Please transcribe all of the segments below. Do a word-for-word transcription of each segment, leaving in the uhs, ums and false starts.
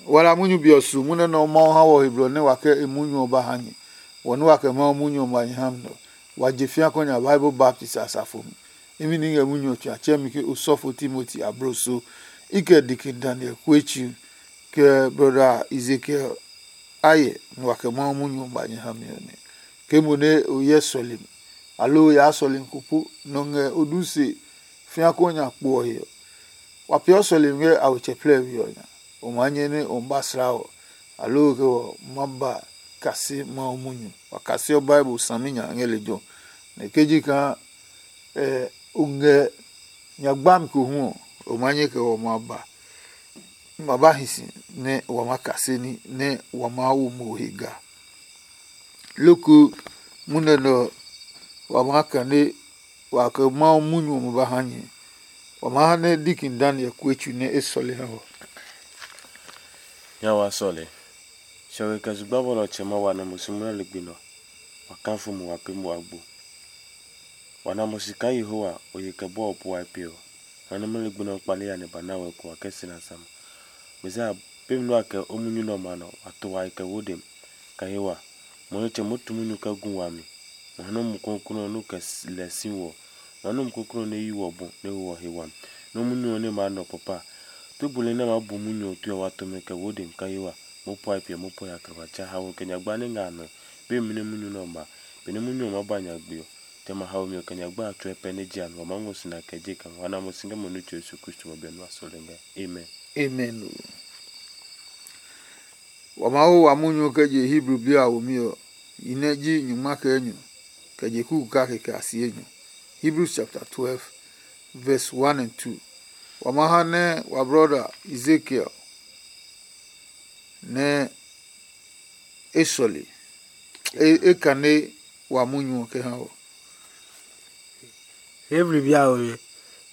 Wala munyu be ɔ su munyu nɛ Mawu ha wɔ he blɔ nɛ wa kɛ e munyu ɔ ba ha nyɛ. Wɔ nɛ wa kɛ Mawu munyu ɔ ma nyɛ ha mi nɛ ɔ, wa je fĩa kɔ nya Bible baptist asafo mi. Imi ni ngɛ munyu ɔ tsuatsɛmi ke osɔfo Timoti abloso, i kɛ Deacon Daniel Kuetsu, kɛ brɔda Ezekiel Aye nɛ wa kɛ Mawu munyu ɔ ba nyɛ ha mi ɔ nɛ. Ke mo nɛ o hyɛ sɔlemi, aloo o yaa sɔlemi ko po nɛ o ngɛ o du se fĩa kɔ nya kpo ɔ he ɔ, wa peeɔ sɔlemi ngɛ a we tsɛ plɛɛvi ɔ nya. O maa nyɛ nɛ o ba sla ɔ, aloo ke ɔ ma ba kase Mawu munyu. Wa kaseɔ Bible saminya ngɛ lejɛ ɔ. Nɛ ke ji kaa o ngɛ nya gbami ko hu ɔ, o maa nyɛ kɛ ɔ ma ba ma ba hi si nɛ wa maa kase ní nɛ wa maa wo mo he ga. Loko munɛ nɛ ɔ, wa maa kane wa kɛ Mawu munyu ɔmɛ ba ha nyɛ. Wa maa ha nɛ Deacon Daniel Kuetsu nɛ e sɔle ha wɔ. Nya wa sɔle. Hiɔwe kɛ zugba bɔlɔ ɔtsɛ ma wa nɛ mo si munɛ ligbi nɔ. Wa kafu mo wa pee mo agbo. Wa na mo si kaa Yehowa, o ye kɛ bɔɔ puae pe ɔ, nɔ nɛ munɛ ligbi nɔ kpale ya nɛ ba na wɛ ko wa kɛ si na sama. Mesiya pemi nɛ wa kɛ o munyu nɛ ɔmɛ a nɔ, wa to wa he kɛ wo dem. Kɛ he wa, mo nitsɛ moo tu munyu kɛ gu wami. Mo ha nɔ́ Mumi Klɔuklɔu ɔ nɛ o kɛ lɛ si wɔ. Mo ha nɔ́ Mumi Klɔuklɔu ɔ nɛ yi wɔ bɔ nɛ ho wɔ he wami. Nɔ́ munyu ɔ nɛ maa nɔ papa. Tue buli nɛ a maa bu munyu ɔ tue ɔ, wa to mɛ kɛ wo dem kɛ he wa. Mo puae piɛ mo puae ya kɛ ba tsa haoe kɛ nyagba nɛ ngɛ a nɔe. Be mi nɛ munyu nɛ ɔ ma, benɛ munyu ɔ maa ba nyagbe ɔ, jamɛ a haomi ɔ kɛ nyagba a tsuɛ pɛ nɛ je a mi, wa maa ngɔ si na kɛ je kɛ ngɔ. Wa na mo si ngɛ mo Nitsɛ Yesu Kristo ma biɛ nua sɔlemi ngɛ. Amen. Amen. Wa maa wo wa munyu ɔ kɛ je Hebrew bi a womi ɔ, yi nɛ ji nyungma kɛ enyɔ, kɛ je kuku kake kɛ a si enyɔ. Hebrews chapter twelve, verse one and two. Wa maa ha nɛ wa brɔda Ezekiel nɛ e sɔle, e, e kane wa munyu ɔ kɛ ha wɔ. Hebrew bi a womi,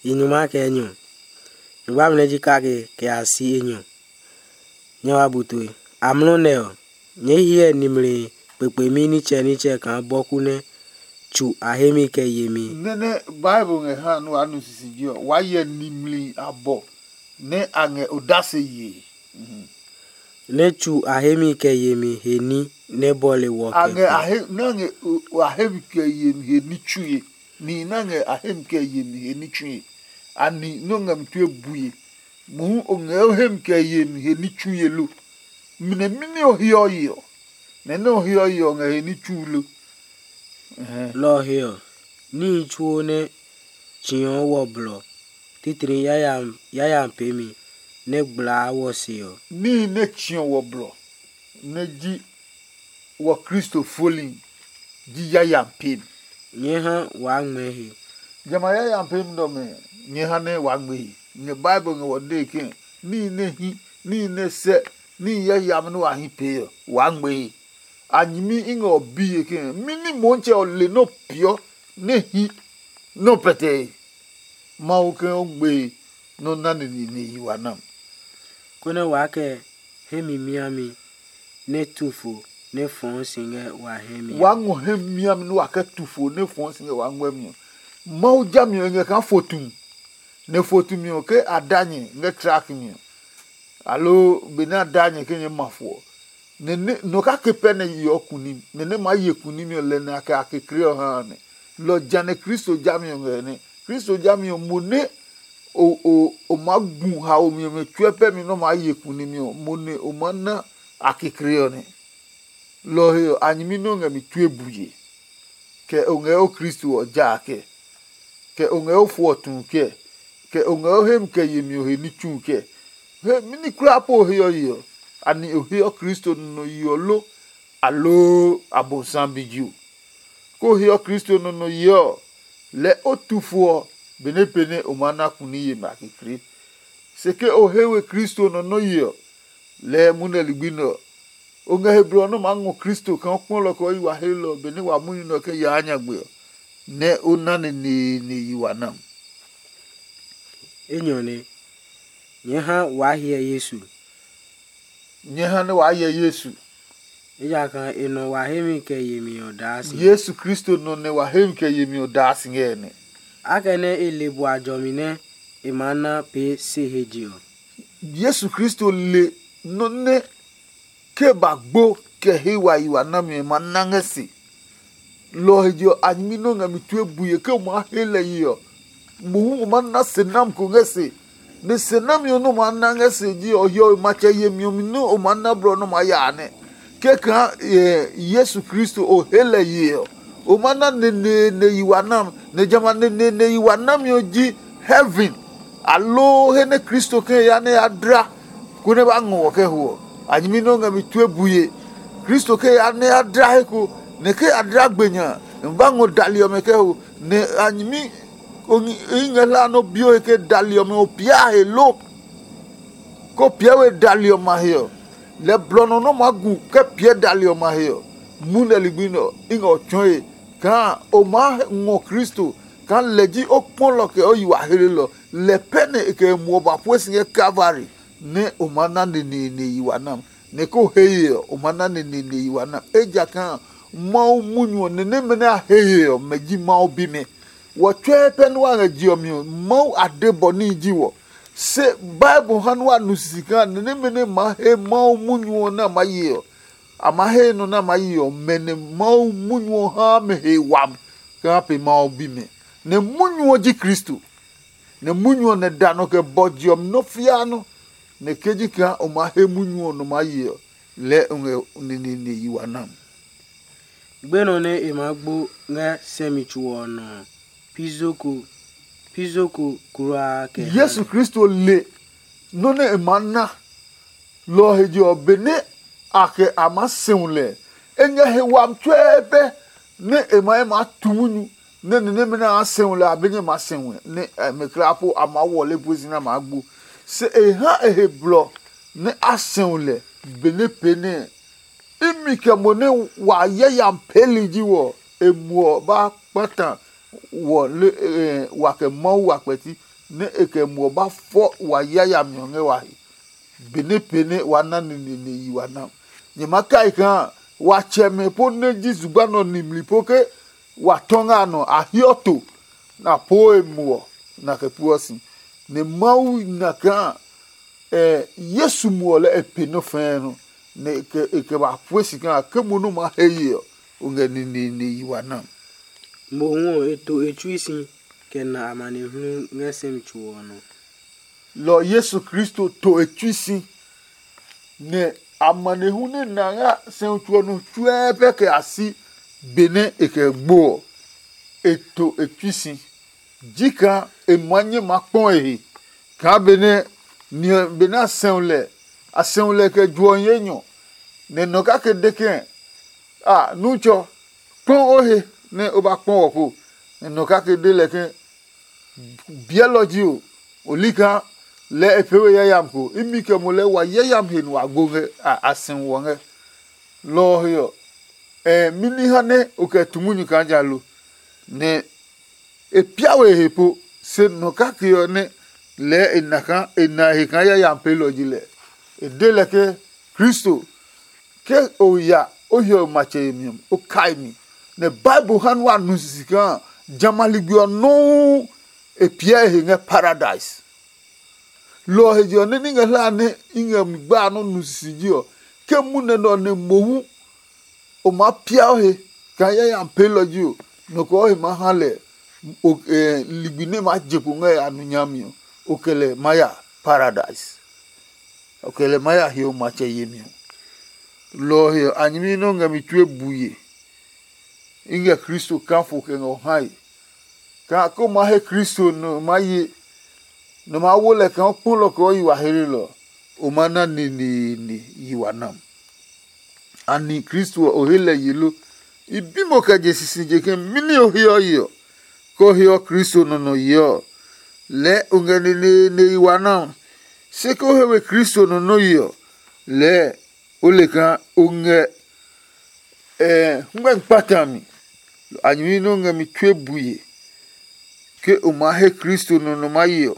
yi nyungma kɛ enyɔ, nyungma mi nɛ ji kake kɛ a si enyɔ. Nyɛ wa bu tue. Amlɔ nɛ ɔ, nyɛɛ hyɛ nimli kpekpemi nitsɛnitsɛ kaa bɔku nɛ tsu a hemi kɛ yemi. Nɛ nɛ Bible ngɛ ha nɛ wa nu sisiji ɔ, wa hyɛ nimli abɔ nɛ a ngɛ odase yee. Nɛ tsu a hemi kɛ yemi he ní nɛ bɔle wɔ a kɛ ngɛ ko. A he nɛ a ngɛ o- a hemi kɛ yemi he ní tsue. Nihi nɛ a ngɛ a hemi kɛ yemi he ní tsue. Ani nɛ o ngɛ mi tue bue. Mohu o ngɛ o hemi kɛ yemi he ní tsue lo? Minɛ mɛni o heɔ ye ɔ? Nɛ nɛ o heɔ ye ɔ ngɛ he ní tsu lo? Ɛhɛɛ. Lɔ ɔ he ɔ, níhi tsuo nɛ tsiɔ wɔ blɔ titri yayam yayam peemi nɛ gblaa wɔ se ɔ. Níhi nɛ tsiɔ wɔ blɔ nɛ ji wɔ Kristo foli ji yayam peemi. Nyɛɛ ha waa ngmɛɛ he. Jamɛ a yayam peemi nɛ ɔmɛ nyɛɛ ha nɛ waa ngmɛɛ he. Ngɛ Bible ngɛ wɔ dee ke níhi nɛ hi, níhi nɛ sɛ, níhi yayam nɛ wa hi pee ɔ, waa ngmɛɛ he. A nyɛmi i ngɛ ɔ biye ke mɛni Motsɛ ɔ le nɛ o peeɔ nɛ hi nɛ o pɛtɛe? Mawu ke o gbe nɛ o na nine nɛ yi wa nam. Konɛ waa kɛ hemi miami nɛ tu fo nɛ fɔɔ si ngɛ wa hɛ mi. Waa ngɔ hemi miami nɛ wa kɛ tu fo nɛ fɔɔ si ngɛ wa ngmɛ mi ɔ. Mawu jami ɔ e ngɛ kaa fo tu. Nɛ fo tumi ɔ ke a da nyɛ ngɛ trak mi ɔ, aloo benɛ a da nyɛ ke nyɛ ma fo ɔ, nɛ nɛ nɔ kake pɛ nɛ yeɔ kunim, nɛ nɛ maa ye kunimi ɔ lɛ nɛ a kɛ a kekle ɔ ha a nɛ. Lɔ ɔ ja nɛ Kristo jami ɔ ngɛ nɛ. Kristo jami ɔ mo nɛ o o o maa gu haomi ɔmɛ tsuɛ pɛ mi nɛ o maa ye kunimi ɔ, mo nɛ o maa na a kekle ɔ nɛ. Lɔ ɔ he ɔ, a nyɛmi nɛ o ngɛ mi tue bue, kɛ o ngɛ o Kristo ɔ ja a kɛ, kɛ o ngɛ o fo ɔ tu kɛ, kɛ o ngɛ o hemi kɛ yemi ɔ he ní tsu kɛ. He mɛni kulaa po o heɔ ye ɔ? Ani o heɔ Kristo nɔ nɔ ye ɔ lo, aloo Abosiami bi ji o? Ke o heɔ Kristo nɔ nɔ ye ɔ, lɛɛ o tu fo ɔ, benɛ pee nɛ o maa na kuni yemi a kekle. Se ke o he we Kristo nɔ nɔ ye ɔ, lɛɛ munɛ ligbi nɛ ɔ, o ngɛ he blɔ nɛ o maa ngɔ Kristo kaa o kpɔ lɛ ɔ kɛ o yi wa he lɛ ɔ benɛ wa munyu nɛ ɔ kɛ yaa nyagbe ɔ, nɛ o na neneene yi wa nam. Enyɔ nɛ, nyɛɛ ha waa hyɛ Yesu. Nyɛɛ ha nɛ waa hyɛ Yesu. Ejakaa e nɔ wa hemi kɛ yemi ɔ daa si. Yesu Kristo nɔ nɛ wa hemi kɛ yemi ɔ daa si ngɛ nɛ. Akɛnɛ e le bua jɔmi nɛ e maa na pee se he je ɔ. Yesu Kristo le nɔ́ nɛ ke ba gbo kɛ he wa yi wa nami ɔ ma na ngɛ se. Lɔ ɔ he je ɔ, a nyɛmi nɛ o ngɛ mi tue bue ke o maa he lɛ ye ɔ, mohu o maa na se nam ko ngɛ se. Nɛ se nami ɔ nɛ o maa na ngɛ se ji ɔ, hiɔwe matsɛ yemi ɔ mi nɛ o maa na blɔ nɛ o maa ya a nɛ. Kɛkaa Yesu Kristo o he lɛ ye ɔ, o maa na neneene yi wa nam, nɛ jamɛ a neneene yi wa nami ɔ ji heaven, aloo he nɛ Kristo kɛ ya nɛ ya dla konɛ ba ngɔ wɔ kɛ ho ɔ. A nyɛmi nɛ o ngɛ mi tue bue. Kristo kɛ ya nɛ ya dla he ko, nɛ ke ya dla gbe nya a, nɛ ba ngɔ dali ɔmɛ kɛ ho, nɛ a nyɛmi i ngɛ hlaa nɔ bio he ke dali ɔmɛ o pia he lo. Ko piɛ we dali ɔmɛ a he ɔ, lɛ blɔ nɔ nɔ́ maa gu kɛ piɛ dali ɔmɛ a he ɔ, mu nɛ ligbi nɛ ɔ i ngɛ o tsɔɔe kaa o maa ngɔ Kristo kaa lɛ ji o kpɔlɔ kɛ o yi wa hlelɔ. Lɛ pɛ nɛ e kɛ e muɔ ba pue si ngɛ Kalvari, nɛ o maa na neneene yi wa nam, nɛ ko he ye ɔ, o maa na neneene yi wa nam. Ejakaa Mawu munyu ɔ nɛ nɛmɛ nɛ a he ye ɔ, mɛ ji Mawu bimɛ. Wɔ tsɔɛ pɛ nɛ wa ngɛ je ɔ mi ɔ, Mawu a de bɔ níhi ji wɔ. Se Bible ha nɛ wa nu sisi kaa nɛ nɛmɛ nɛ maa he Mawu munyu ɔ nɛ a maa ye ɔ, a maa he nɔ nɛ a maa ye ɔ, mɛ nɛ Mawu munyu ɔ haa mɛ he wami kaa pe Mawu bimɛ. Nɛ munyu ɔ ji Kristo. Nɛ munyu ɔ nɛ da nɔ kɛ bɔ je ɔ mi nɔ́ fiaa nɔ́, nɛ ke ji kaa o maa he munyu ɔ nɔ maa ye ɔ, lɛɛ o ngɛ neneene yi wa nam. Gbenɔ nɛ e maa gbo ngɛ sɛmi tso ɔ nɔ ɔ, pi zo ko, pi zo ko kulaa kɛ ha. Yesu Kristo le nɔ́ nɛ e maa na. Lɔ ɔ he je ɔ, benɛ a kɛ a maa sɛu lɛ, e ngɛ he wami tsuɛɛ pɛ nɛ e ma e maa tu munyu, nɛ ni nɛmɛ nɛ a sɛu lɛ a be ngɛ maa sɛu nɛ mɛ kulaa po a maa wɔle pue si nɛ a maa gbo. Se e ha e he blɔ nɛ a sɛu lɛ benɛ pee nɛ imi kɛ mo nɛ wa yayami peeli ji wɔ, e muɔ ba kpata wɔ le wa kɛ Mawu wa kpɛti, nɛ e kɛ muɔ ba fɔ wa yayami ɔ ngɛ wa he. Benɛ pee nɛ wa na neneene yi wa na. Nyɛ ma kai kaa wa tsɛmɛ po nɛ ji zugba nɔ nimli po ke wa tɔ ngɛ a nɔ a hiɔ to, nɛ a poo e muɔ, nɛ a kɛ pueɔ si. Nɛ Mawu na kaa Yesu muɔ lɛ e pe nɔ́ fɛɛ nɔ, nɛ e kɛ ba pue si kaa ke mo nɛ o maa he ye ɔ, o ngɛ neneene yi wa na. Mohu ɔ, e to e tsui si kɛ na amanehlu ngɛ sɛmi tso ɔ nɔ. Lɔ Yesu Kristo to e tsui si, nɛ amanehlu nɛ na ngɛ sɛmi tso ɔ nɔ tsuɛɛ pɛ kɛ a si benɛ e kɛ gbo ɔ, e to e tsui si. Ji kaa e maa nyɛ maa kpɔ e he kaa benɛ ni ɔ benɛ a sɛu lɛ, a sɛu lɛ kɛ juɔ hi enyɔ, nɛ nɔ kake de ke, a nutsɔ, kpɔ o he nɛ o ba kpɔ wɔ ko. Nɛ nɔ kake de lɛ ke, biɛlɔ ji o, o li kaa lɛɛ e pee we yayami ko. Imi kɛ mo lɛɛ wa yayami he nɛ wa gbo ngɛ a sɛu wɔ ngɛ. Lɔ ɔ he ɔ, ɛ mini ha nɛ o kɛ tu munyu kaa ja lo? Nɛ e pia we he po, se nɔ kake ɔ nɛ lɛɛ e na kaa e na he kaa yayami peelɔ ji lɛ. E de lɛ ke, Kristo, ke o ya o hiɔwe matsɛ yemi ɔ, o kai mi. Nɛ Bible ha nɛ wa nu sisi kaa jamɛ a ligbi ɔ nɔuu e piɛ e he ngɛ paradise. Lɔ ɔ he je ɔ, nɛ ní ngɛ hlaa nɛ i ngɛ mi gba a nɔ́ nu sisi ji ɔ, ke munɛ nɛ ɔ nɛ mohu o maa pia o he kaa yayami peelɔ ji o, nɔ ko ɔ he maa ha lɛ ligbi nɛ maa je kpo ngɛ a nu nyami ɔ, o kɛ lɛ maa ya paradise. O kɛ lɛ maa ya hiɔwe matsɛ yemi ɔ. Lɔ ɔ he ɔ, a nyɛmi nɛ o ngɛ mi tue bue. I ngɛ Kristo kafo kɛ ngɛ o hae. Kaa ke o maa he Kristo nɛ o maa ye, nɛ o maa wo lɛ kaa o kpɔlɔ kɛ o yi wa heelelɔ, o maa na neneene yi wa nam. Anɛ Kristo ɔ, o he lɛ ye lo? I bi mo kɛ je sisije ke mɛni o heɔ ye ɔ, ke o heɔ Kristo nɔ nɔ ye ɔ, lɛɛ o ngɛ neneene yi wa nam. Se ke o he we Kristo nɔ nɔ ye ɔ, lɛɛ o le kaa o ngɛ hwɛ kpata mi. A nyɛmi nɛ o ngɛ mi tue bue ke o maa he Kristo nɔ nɔ maa ye ɔ,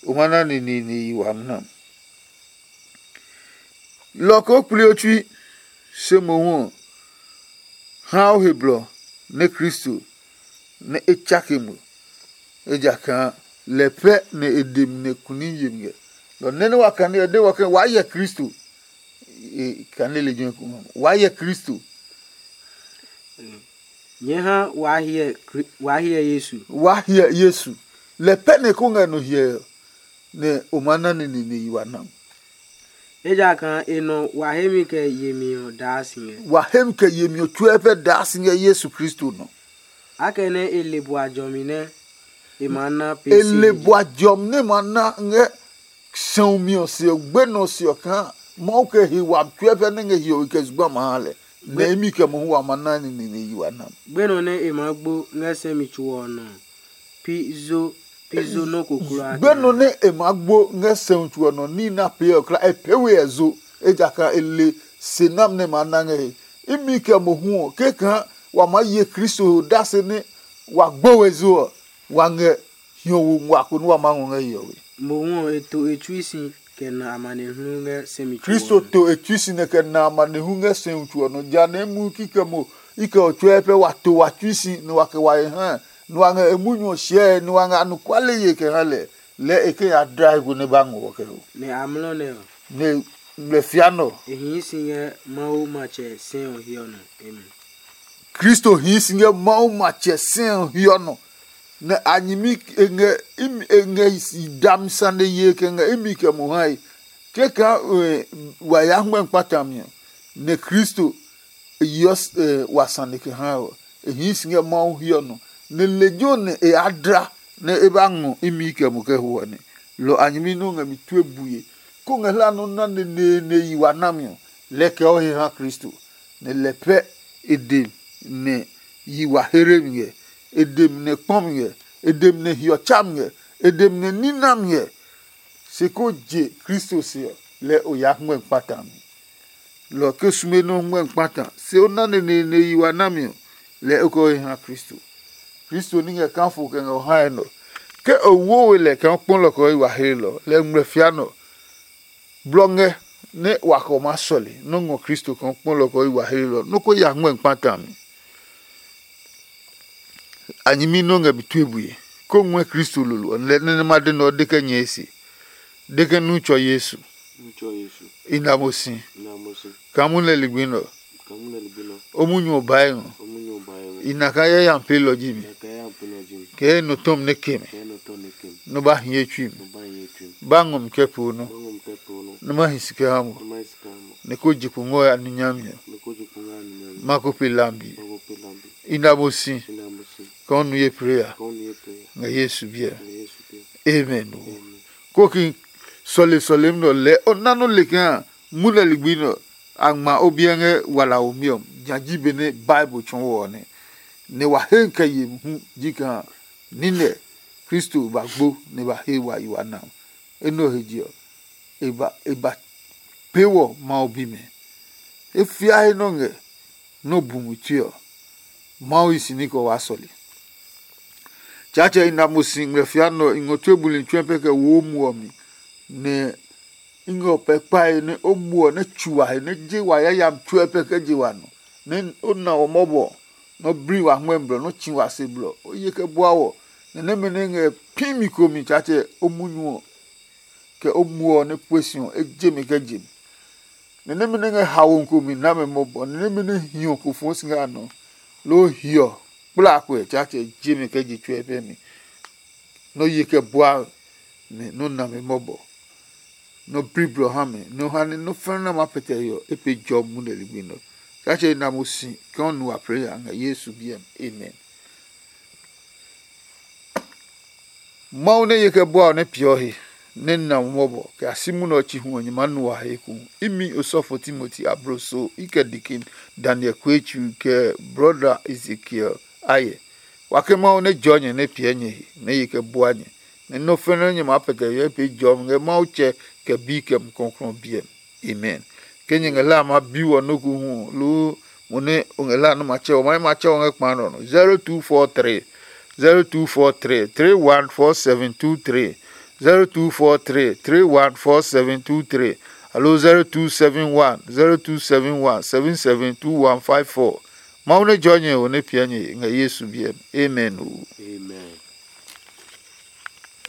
o ma na neneene yi wami nam. Lɔ ko kpli o tsui, se mohu ɔ, ha o he blɔ nɛ Kristo nɛ e tsake mo, ejakaa lɛ pɛ nɛ e de mi nɛ kuni yemi ngɛ. Lɔ nɛ nɛ wa kane ɔ de wɔ ke waa hyɛ Kristo, e, kane lejɛ ko waa hyɛ Kristo. Nyɛɛ ha waa hyɛ Kri- waa hyɛ Yesu. Waa hyɛ Yesu. Lɛ pɛ nɛ ko ngɛ no hyɛ ɔ, nɛ o ma na nene nɛ yi wa na. Ejakaa e nɔ wa hemi kɛ yemi ɔ daa si ngɛ. Wa hemi kɛ yemi ɔ tsuɛ pɛ daa si ngɛ Yesu Kristo nɔ. Akɛnɛ e le bua jɔmi nɛ e ma na pe e le bua jɔmi nɛ ma na ngɛ sɛumi ɔ se ɔ gbe nɔ se ɔ kaa Mawu kɛ he wami tsuɛ pɛ nɛ ngɛ hiɔwe kɛ zugba ma ha lɛ. Nɛ imi kɛ mohu wa ma na nene nɛ yi wa na. Gbenɔ nɛ e maa gbo ngɛ sɛ mi tso ɔ nɔ ɔ, pi zo pi zo nɔ́ ko kulaa. Gbenɔ nɛ e maa gbo ngɛ sɛumi tso ɔ nɔ ní na pee ɔ kla e pee we ɛ zo, ejakaa e le se nami nɛ e maa na ngɛ he. Imi kɛ mohu ɔ kekã wa maa ye Kristo he odase nɛ wa gbo we zo ɔ, wa ngɛ hiɔwo ngua ko nɛ wa maa ngɔ ngɛ hiɔwe. Mohu ɔ e to e tsui si kɛ na amanehlu ngɛ sɛ mi tso ɔ nɔ. Kristo to e tsui si nɛ kɛ na amanehlu ngɛ sɛumi tso ɔ nɔ ja nɛ e mu kikɛ mo i kɛ ɔ tsuɛ pɛ wa to wa tsui si nɛ wa kɛ wa he ha nɛ wa ngɛ e munyu ɔ hyɛe nɛ wa ngɛ anɔkuale ye kɛ ha lɛ. Lɛɛ e ke ya dlae ko nɛ ba ngɔ wɔ kɛ ho. Nɛ amlɔ nɛ ɔ, nɛ ngmlɛ fia nɔ. E hii si ngɛ Mawu matsɛ sɛ ɔ hiɔ nɔ. Amen. Kristo hii si ngɛ Mawu matsɛ sɛ ɔ hiɔ nɔ. Nɛ a nyɛmi e ngɛ imi e ngɛ dami sane ye kɛ ngɛ imi kɛ mo hae. Kɛkɛ wa ya hmɛ kpata mi ɔ, nɛ Kristo e yeɔ wa sane kɛ ha ɔ, e hii si ngɛ Mawu hiɔ nɔ, nɛ lejɛ ɔ nɛ e ya dla nɛ e ba ngɔ imi kɛ mo kɛ ho ɔ nɛ. Lɔ a nyɛmi nɛ o ngɛ mi tue bue, kó ngɛ hla nɔ́ na neneene yi wa nami ɔ, lɛɛ kɛ o he ha Kristo, nɛ lɛ pɛ e de nɛ yi wa here mi ngɛ, e de mi nɛ kpɔ mi ngɛ, e de mi nɛ hiɔ tsa mi ngɛ, e de mi nɛ nina mi ngɛ. Se ko je Kristo se ɔ, lɛ o ya hmɔɛ kpata mi. Lɔ ke sume nɛ o hmɔɛ kpata se o na neneene yi wa nami ɔ, lɛ o kɛ o he ha Kristo. Kristo ní ngɛ kafo kɛ ngɛ o hae nɔ. Ke o wo we lɛ kaa o kpɔ lɔ kɛ o yi wa hlelɔ, lɛ ngmlɛ fia nɔ. Blɔ ngɛ nɛ wa kɛ o maa sɔle nɔ́ ngɔ Kristo kaa o kpɔ lɔ kɛ o yi wa hlelɔ, nɔ́ ko ya hmɔɛ kpata mi. A nyɛmi nɛ o ngɛ mi tue bue, kó ngɔɛ Kristo lolo ɔ, nɛ nɛ ma de nɛ ɔ de kɛ nyɛe se, de ke nu tsɔ Yesu. I na mo si. Kaa munyu nɛ ligbi nɛ ɔ, o munyu ɔ bae ngɔ. I na kaa yayami peelɔ ji mi. Kɛ ye nɔ tɔmi nɛ ke mi. Nɔ ba hi ye tsui mi. Ba ngɔ mi kɛ poo nɔ. Nɔ ma hi si kɛ ha mo. Nɛ ko je kpo ngɔ ya nu nyami ɔ. Ma ko pe lambi. I na mo si. Kaa o nu ye preya. Ngɛ Yesu biɛ. Amen. Ko ki sɔle sɔlemi nɛ ɔ lɛɛ o na nɔ́ le kaa munɛ ligbi nɛ ɔ, a ngma o biɛ ngɛ walaomi ɔ, nya ji benɛ Bible tsɔɔ ɔ nɛ. Nɛ wa he kɛ ye hu ji kaa nine Kristo ba gbo nɛ ba he wa yi wa na. Enɛ ɔ he je ɔ, e ba e ba pee wɔ Mawu bimɛ. E fia he nɔ ngɛ nɛ o bu mi tue ɔ, Mawu hi si ní kɛ o waa sɔle. Tsaatsɛ i na mo si ngmlɛ fia nɛ ɔ, i ngɔ tue buli tsuɛ pɛ kɛ wo o muɔ mi, nɛ i ngɛ o pɛ kpae nɛ o muɔ nɛ tsu wa he nɛ je wa yayami tsuɛ pɛ kɛ je wa nɔ, nɛ o na wɔ mɔbɔ, nɛ o bli wa hmɔɛ blɔ, nɛ o tsi wa se blɔ, o ye kɛ bua wɔ, nɛ nɛmɛ nɛ ngɛ pi mi ko mi Tsaatsɛ o munyu ɔ, kɛ o muɔ ɔ nɛ pue si ɔ, e je mi kɛ je mi. Nɛ nɛmɛ nɛ ngɛ haomi ko mi na mɛ mɔbɔ, nɛ nɛmɛ nɛ hiɔ ko fɔɔ si ngɛ a nɔ, loo hiɔ kplaakpɛ Tsaatsɛ je mi kɛ je tsuɛ pɛ mi. Nɔ ye kɛ bua mɛ, nɔ na mɛ mɔbɔ, nɔ bli blɔ ha mɛ, nɔ ha nɛ nɔ fɛnɛ nɛ ma pɛtɛ yɔ e pe jɔ mu nɛ ligbi nɔ. Tsaatsɛ na mo si kɛ o nu wa pɛ ya ngɛ Yesu biɛ mi. Amen. Mawu nɛ ye kɛ bua ɔ nɛ peeɔ he, nɛ na mo mɔbɔ kɛ a si munɛ ɔ chi hu ɔ nyɛ maa nu wa he hu. Imi osɔfo Timoti abloso i kɛ dikin Daniel Kuetsu kɛ brɔda Ezekiel ayɛ. Wa ke Mawu nɛ jɔɔ nyɛ nɛ piɛ nyɛ he, nɛ ye kɛ bua nyɛ, nɛ nɔ́ fɛnɛ nyɛ maa pɛtɛ hyɛ pee jɔmi ngɛ Mawu tsɛ kɛ bi kɛ mukɔklɔ biɛ mi. Amen. Ke nyɛ ngɛ hlaa ma bi wɔ nɔ́ ko hu ɔ, loo mo nɛ o ngɛ hlaa nɛ ma tsɛ wɔ, ma nɛ ma tsɛ wɔ ngɛ kpa nɔ nɔ. Zero two four three, zero two four three, three one four seven two three, zero two four three, three one four seven two three, aloo zero two seven one, zero two seven one, seven seven two one five four. Mawu nɛ jɔ nyɛ ɔ nɛ piɛ nyɛ ngɛ Yesu biɛ mi. Amen o.